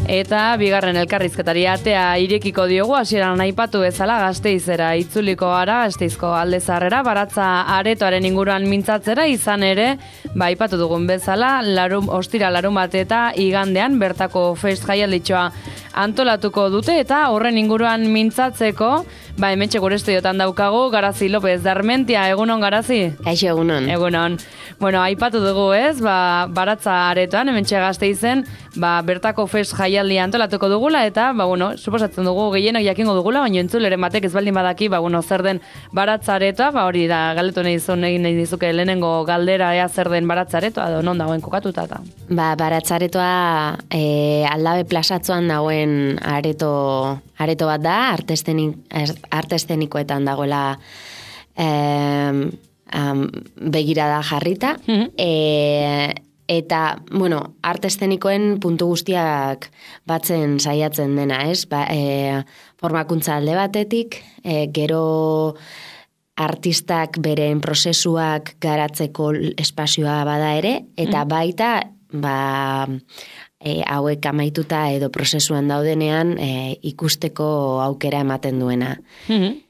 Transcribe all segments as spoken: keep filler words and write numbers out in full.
Eta bigarren elkarrizketari atea irekiko diogu, hasieran aipatu bezala Gasteizera itzuliko gara, Gasteizko Alde Zaharrera, Baratza aretoaren inguruan mintzatzera, izan ere, ba aipatu dugun bezala, larum, ostira larun bat eta igandean bertako fest jaialditxoa antolatuko dute, eta horren inguruan mintzatzeko, ba hementxe gure estudiotan daukagu, Garazi López de Armentia, egunon Garazi? Kaixo, egunon. Egunon. Bueno, aipatu dugu ez, ba, Baratza aretoan, hementxe Gasteizen, ba, bertako fest jaialdia antolatuko dugula, eta, ba, bueno, suposatzen dugu gehienok jakingo dugula, baina entzuleren batek ez baldin badaki, ba, bueno, zer den Baratza aretoa, ba, hori da, galetu nahi zuen egin nahi dizuke lehenengo galdera ea zer den Baratza aretoa, edo non dagoen kokatuta eta. Ba, Baratza aretoa e, Aldabe plazatzoan dagoen areto, areto bat da, arte eszenikoetan dagoela eh, um, begirada jarrita, mm-hmm. e, eta, bueno, arte eszenikoen puntu guztiak batzen saiatzen dena, ez? Ba, e, formakuntza alde batetik, e, gero artistak beren prozesuak garatzeko espazioa bada ere, eta mm-hmm. baita, ba, e, hauek amaituta edo prozesuan daudenean e, ikusteko aukera ematen duena. Mm-hmm.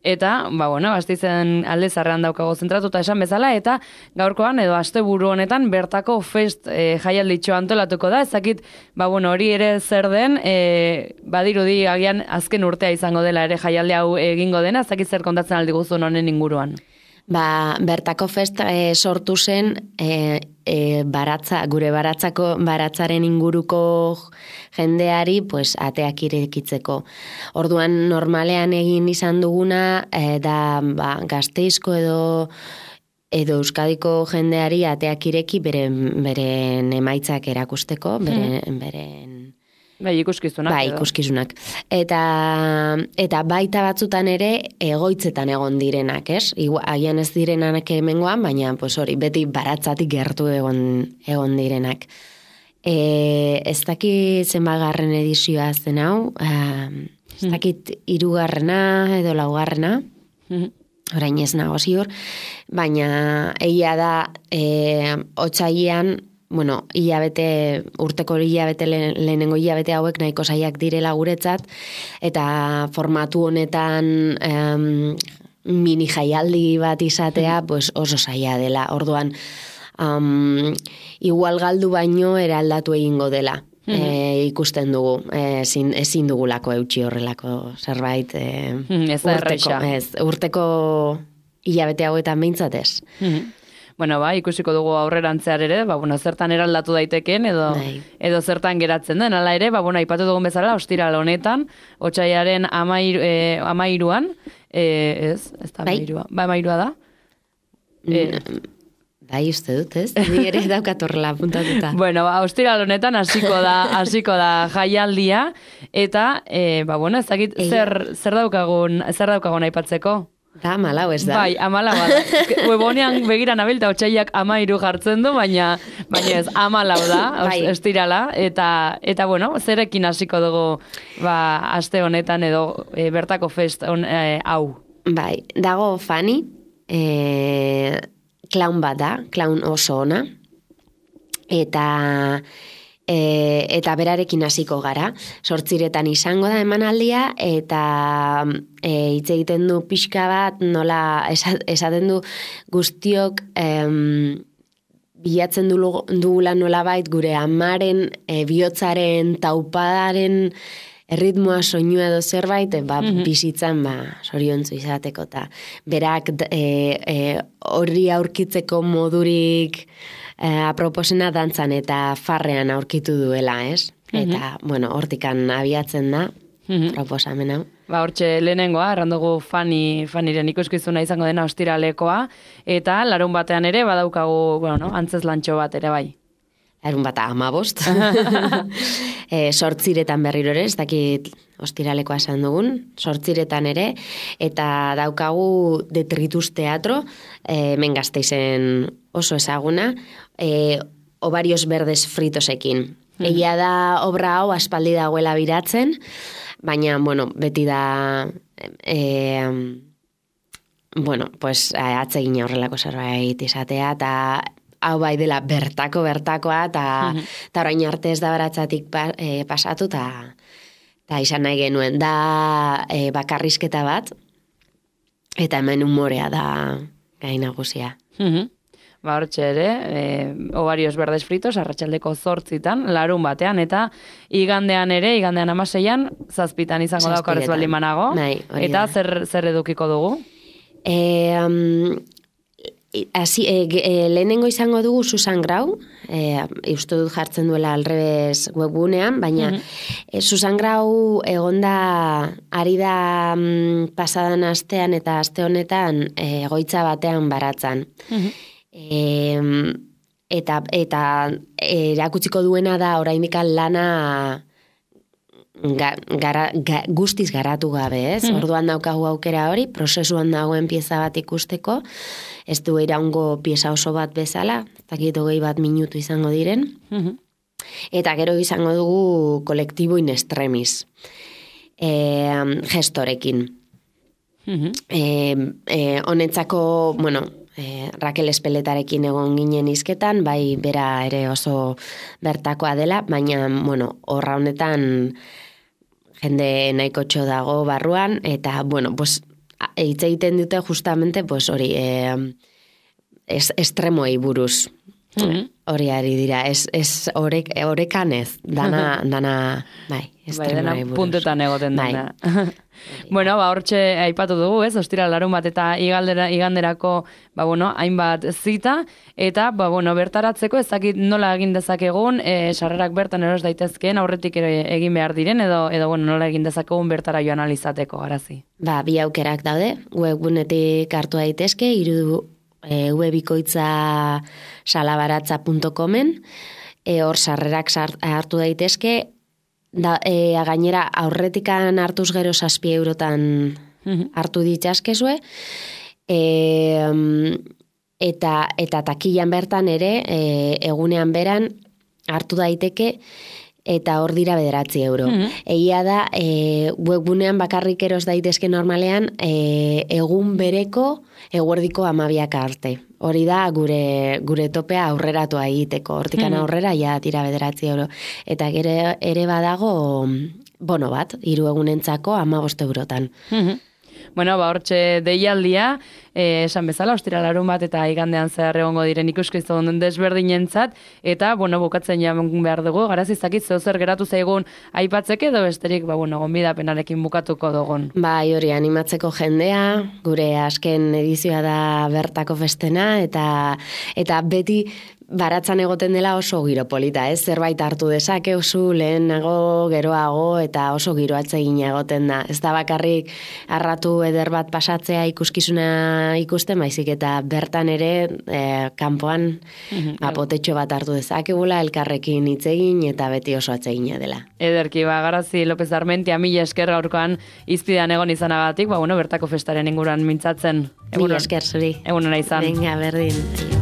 Eta, ba, bueno, Gasteizen Alde Zaharrean daukago zentratuta esan bezala, eta gaurkoan edo asteburu honetan bertako fest e, jaialditxo antolatuko da, ezakit, ba, bueno, hori ere zer den, e, badirudi agian azken urtea izango dela ere jaialdi hau egingo dena, ezakit zer kontatzen aldi guztun honen inguruan. Ba, bertako fest e, sortu zen e, e, baratza, gure baratzako baratzaren inguruko jendeari pues, ateak irekitzeko. Orduan normalean egin izan duguna e, da ba, Gasteizko edo edo Euskadiko jendeari ateak ireki beren, beren emaitzak erakusteko, beren, hmm. beren Bai, ikuskizunak. Bai, ikuskizunak. Eta, eta baita batzutan ere egoitzetan egon direnak, ez? Agian ez direnak hemengoan, baina pues hori, beti baratzatik gertu egon, egon direnak. E, ez dakit zenbagarren edizioa zen hau, e, ez dakit hirugarrena edo laugarrena, orain ez nago ziur, baina egia da e, otsailean, bueno, hilabete, urteko hilabete lehenengo hilabete hauek nahiko zaiak direla guretzat, eta formatu honetan um, mini jaialdi bat izatea pues oso zaila dela. Orduan, um, igual galdu baino eraldatu egingo dela. Mm-hmm. E, ikusten dugu, e, ezin, ezin dugulako eutxi horrelako zerbait e, mm, ez urteko, ez, urteko hilabete hauetan behintzat ez. Mm-hmm. Bueno, ba, ikusiko dugu aurrerantzear ere, ba, bueno, zertan eraldatu daiteken, edo, edo zertan geratzen den, ala ere, ba, bueno, aipatu dugun bezala, ostiral honetan, otsailaren amairu, e, amairuan, e, ez, ez da amairua, ba, amairua da? E, bai, uste dut, ez? Ni ere daukatorrela puntatuta. Bueno, ba, ostiral honetan hasiko da, hasiko da jaialdia, eta, e, ba, bueno, ez dakit, zer, zer daukagun, zer daukagun aipatzeko? Da, amalau ez da. Bai, amalau da. Webonean begira nabilta otsailak amairu jartzen du, baina, baina ez, amalau da, bai. Estirala, eta, eta bueno, zerekin hasiko dugu ba, aste honetan edo e, bertako fest on, e, hau. Bai, dago Fani, e, klaun bat da, klaun oso ona, eta... E, eta berarekin hasiko gara. Zortziretan izango da emanaldia, eta e, hitz egiten du pixka bat, nola esaten du guztiok em, bilatzen dugula nolabait gure amaren, e, bihotzaren, taupadaren erritmoa, soinua edo zerbait, ba, mm-hmm. bizitzan ba, zoriontzu izateko. Ta. Berak horri e, e, aurkitzeko modurik E, aproposena dantzan eta farrean aurkitu duela, ez? Mm-hmm. Eta, bueno, hortikan abiatzen da, mm-hmm. proposamena. Ba, hortxe lehenengoa, errandugu Fani, Faniren ikuskizuna izango dena ostiralekoa, eta larun batean ere badaukagu, bueno, no, antzez lantxo bat ere bai. Larun bata amabost. e, sortziretan berriro ere, ez dakit ostiralekoa esan dugun, sortziretan ere, eta daukagu Detritus Teatro, e, hemen Gasteizen oso ezaguna, e, Ovarios Verdes Fritosekin. Mm-hmm. Egia da obra hau aspaldi dagoela biratzen, baina, bueno, beti da... E, bueno, pues atsegina horrelako zerbait izatea, eta hau bai dela bertako bertakoa, eta mm -hmm. orain arte ez da baratzatik pa, e, pasatu, eta ta izan nahi genuen, da e, bakarrizketa bat, eta hemen umorea da gai nagusia. Mm -hmm. Ba, hortxe ere, e, ovarios berdes fritos, arratsaldeko zortzitan, larun batean, eta igandean ere, igandean amaseian, zazpitan izango da okarrez baldin manago. Bai, eta zer, zer edukiko dugu? E, um, Asi, e, e, lehenengo izango dugu Susan Grau, e, uste dut jartzen duela alrebez webgunean, baina mm-hmm. e, Susan Grau egonda ari da mm, pasadan astean eta aste honetan e, egoitza batean baratzan. Mm-hmm. E, eta eta erakutsiko duena da oraindikan lana ga, gara, ga, guztiz garatu gabe, ez? Mm-hmm. Orduan daukagu aukera hori, prozesuan dagoen pieza bat ikusteko, ez du iraungo pieza oso bat bezala, ez dakit hogei bat minutu izango diren, mm-hmm. eta gero izango dugu kolektibo in extremis, e, gestorekin. Mm-hmm. E, e, honetzako, bueno, e, Raquel Espeletarekin egon ginen izketan, bai bera ere oso bertakoa dela, baina, bueno, horra honetan jende nahiko txo dago barruan, eta, bueno, pues, hitz egiten dute justamente, pues, hori, eh, es, estremoei buruz. Mm-hmm. Hori ari dira, ez, ez orek, orekanez, dana, dana, bai, estremoei buruz. Puntetan egoten dena. Bai. Bueno, ba, hortxe aipatu dugu, ez, ostira larun bat eta igaldera, iganderako, ba, bueno, hainbat zita, eta, ba, bueno, bertaratzeko, ez dakit nola egin dezakegun, e, sarrerak bertan eros daitezkeen, aurretik ere egin behar diren, edo, edo bueno, nola egin dezakegun bertara joan alizateko, garazi. Ba, bi aukerak daude, webgunetik hartu daitezke, iru e, webikoitza salabaratza puntu comen, e, hor sarrerak hartu daitezke, da, e, gainera aurretikan hartuz gero zazpi eurotan hartu ditazkezue, e, eta, eta takilan bertan ere, e, egunean beran hartu daiteke, eta hor dira bederatzi euro. Mm-hmm. Egia da, e, webgunean bakarrik eros daitezke normalean, e, egun bereko eguerdiko amabiak arte. Hori da gure gure topea aurreratua egiteko. Hortikan mm-hmm. aurrera ja tira bederatzi euro. Eta gero ere badago bono bat, hiru egunentzako hamabost eurotan. Mm-hmm. Bueno, ba, hortxe deialdia, eh, esan bezala, ostira larun bat eta igandean zehar egongo diren ikuskizun desberdinentzat, eta, bueno, bukatzen jamen behar dugu, garaz izakit zer geratu zaigun aipatzeke, edo besterik, ba, bueno, gonbidapenarekin bukatuko dugun. Bai, hori, animatzeko jendea, gure azken edizioa da bertako festena, eta, eta beti baratzan egoten dela oso giro polita, ez? Zerbait hartu dezake oso lehenago, geroago, eta oso giro atsegin egoten da. Ez da bakarrik arratu eder bat pasatzea ikuskizuna ikusten, baizik eta bertan ere eh, kanpoan mm-hmm. apotetxo bat hartu dezakegula, elkarrekin hitz egin eta beti oso atsegina dela. Ederki, ba, Garazi López Armentia, mila esker gaurkoan izpidan egon izanagatik, ba, bueno, bertako festaren inguruan mintzatzen. Mila esker zuri. Egunera izan. Venga, berdin.